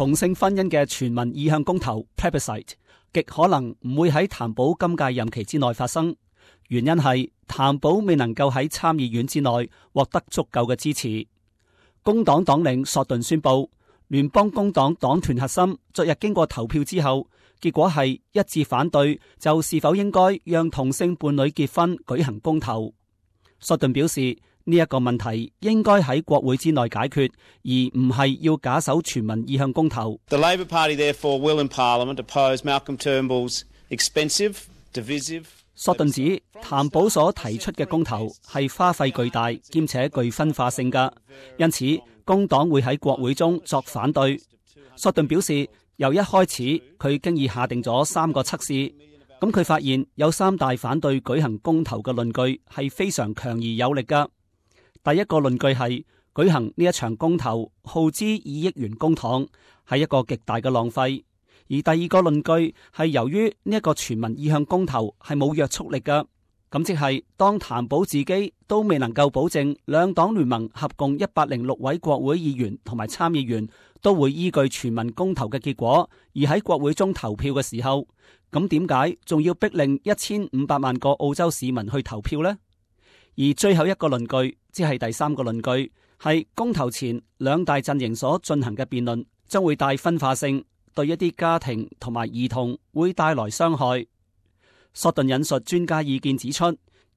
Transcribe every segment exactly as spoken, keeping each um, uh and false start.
同性婚姻嘅全民意向公投 plebiscite 極可能唔會喺譚寶今屆任期之內發生，原因係譚寶未能夠喺參議院之內獲得足夠嘅支持。工黨黨領索頓宣布，聯邦工黨黨團核心昨日經過投票之後，結果係一致反對就是否應該讓同性伴侶結婚舉行公投。索頓表示，呢一個問題應該喺國會之內解決，而唔係要假手全民意向公投。The Labor Party therefore will in Parliament oppose Malcolm Turnbull's expensive, divisive。索頓指譚寶所提出嘅公投係花費巨大兼且具分化性㗎，因此工黨會喺國會中作反對。索頓表示，由一開始佢經已下定咗三個測試，咁佢發現有三大反對舉行公投嘅論據係非常強而有力㗎。第一個論據係舉行呢一場公投耗資二億元公帑，係一個極大嘅浪費。而第二個論據係由於呢一個全民意向公投係冇約束力㗎，咁即係當譚寶自己都未能夠保證兩黨聯盟合共一百零六位國會議員同埋參議員都會依據全民公投嘅結果而喺國會中投票嘅時候，咁點解仲要逼令一千五百萬個澳洲市民去投票呢？而最後一個論據，即係第三個論據，係公投前兩大陣營所進行嘅辯論將會帶分化性，對一啲家庭同埋兒童會帶來傷害。索頓引述專家意見指出，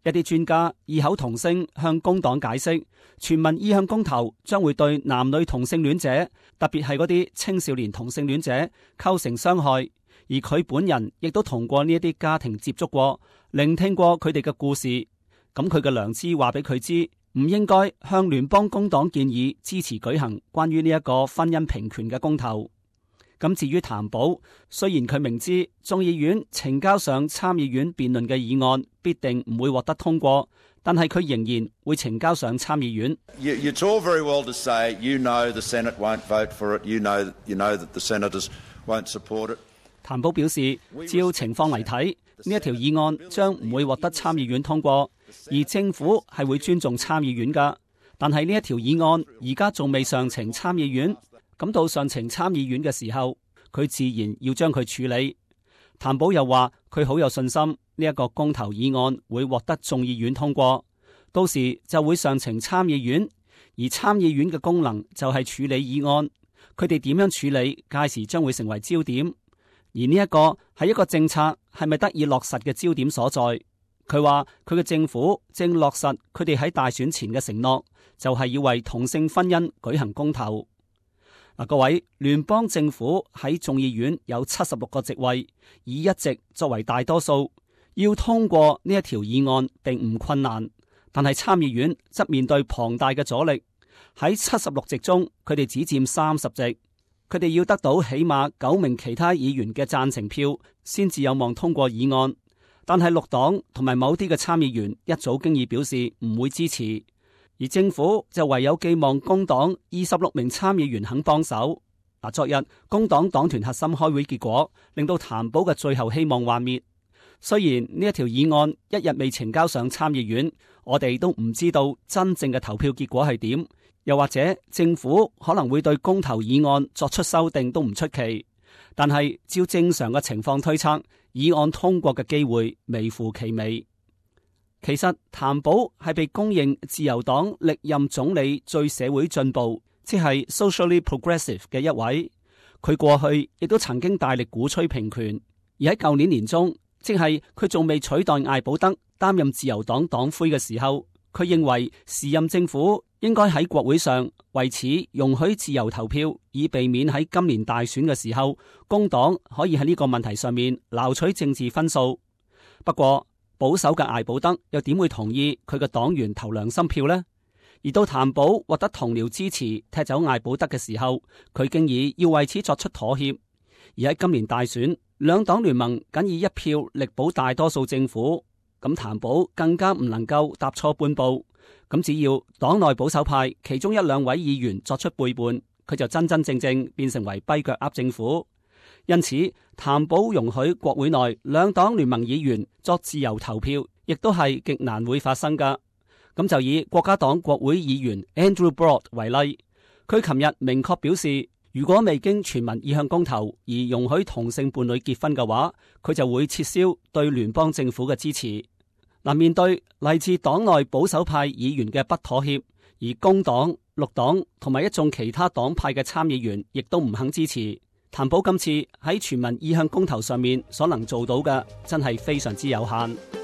一啲專家異口同聲向工黨解釋，全民意向公投將會對男女同性戀者，特別係嗰啲青少年同性戀者構成傷害。而佢本人亦都同過呢一啲家庭接觸過，聆聽過佢哋嘅故事。咁佢嘅良知話俾佢知，唔應該向聯邦工黨建議支持舉行關於呢一個婚姻平權嘅公投。咁至於譚寶，雖然佢明知眾議院呈交上參議院辯論嘅議案必定唔會獲得通過，但係佢仍然會呈交上參議院。You, it's all very well to say, you know the Senate won't vote for it, you know, you know that the senators won't support it. 譚寶表示，照情況嚟睇，呢一條議案將唔會獲得參議院通過。而政府係會尊重參議院噶，但係呢一條議案而家仲未上呈參議院，咁到上呈參議院嘅時候，佢自然要將佢處理。譚寶又話佢好有信心呢一個公投議案會獲得眾議院通過，到時就會上呈參議院，而參議院嘅功能就係處理議案，佢哋點樣處理，屆時將會成為焦點。而呢一個係一個政策係咪得以落實嘅焦點所在。佢話佢嘅政府正落實佢哋喺大選前嘅承諾，就係要為同性婚姻舉行公投。嗱，各位，聯邦政府喺眾議院有七十六個席位，以一席作為大多數，要通過呢一條議案並唔困難。但係參議院則面對龐大嘅阻力，喺七十六席中，佢哋只佔三十席，佢哋要得到起碼九名其他議員嘅贊成票，先至有望通過議案。但係綠黨同埋某啲嘅參議員一早經已表示唔會支持，而政府就唯有寄望工黨二十六名參議員肯幫手。嗱，昨日工黨黨團核心開會結果，令到譚寶嘅最後希望幻滅。雖然呢一條議案一日未呈交上參議院，我哋都唔知道真正嘅投票結果係點，又或者政府可能會對公投議案作出修訂都唔出奇。但係照正常嘅情況推測，議案通過嘅機會微乎其微。其實譚寶係被公認自由黨歷任總理最社會進步，即係 socially progressive 嘅一位。佢過去亦都曾經大力鼓吹平權，而喺舊年年中，即係佢仲未取代艾保德擔任自由黨黨魁嘅時候，佢認為時任政府應該喺國會上為此容許自由投票，以避免喺今年大選嘅時候，工黨可以喺呢個問題上面撈取政治分數。不過保守嘅艾保德又點會同意佢嘅黨員投良心票呢？而到譚寶獲得同僚支持踢走艾保德嘅時候，佢經已要為此作出妥協。而喺今年大選，兩黨聯盟僅以一票力保大多數政府，咁譚寶更加唔能夠踏錯半步。咁只要黨內保守派其中一兩位議員作出背叛，佢就真真正正變成為跛腳鴨政府。因此，譚寶容許國會內兩黨聯盟議員作自由投票，亦都係極難會發生噶。咁就以國家黨國會議員 Andrew Broad 為例，佢琴日明確表示，如果未經全民意向公投而容許同性伴侶結婚嘅話，佢就會撤銷對聯邦政府嘅支持。嗱，面對嚟自黨內保守派議員嘅不妥協，而工黨、綠黨同埋一眾其他黨派嘅參議員亦都唔肯支持，譚普今次喺全民意向公投上面所能做到嘅真係非常之有限。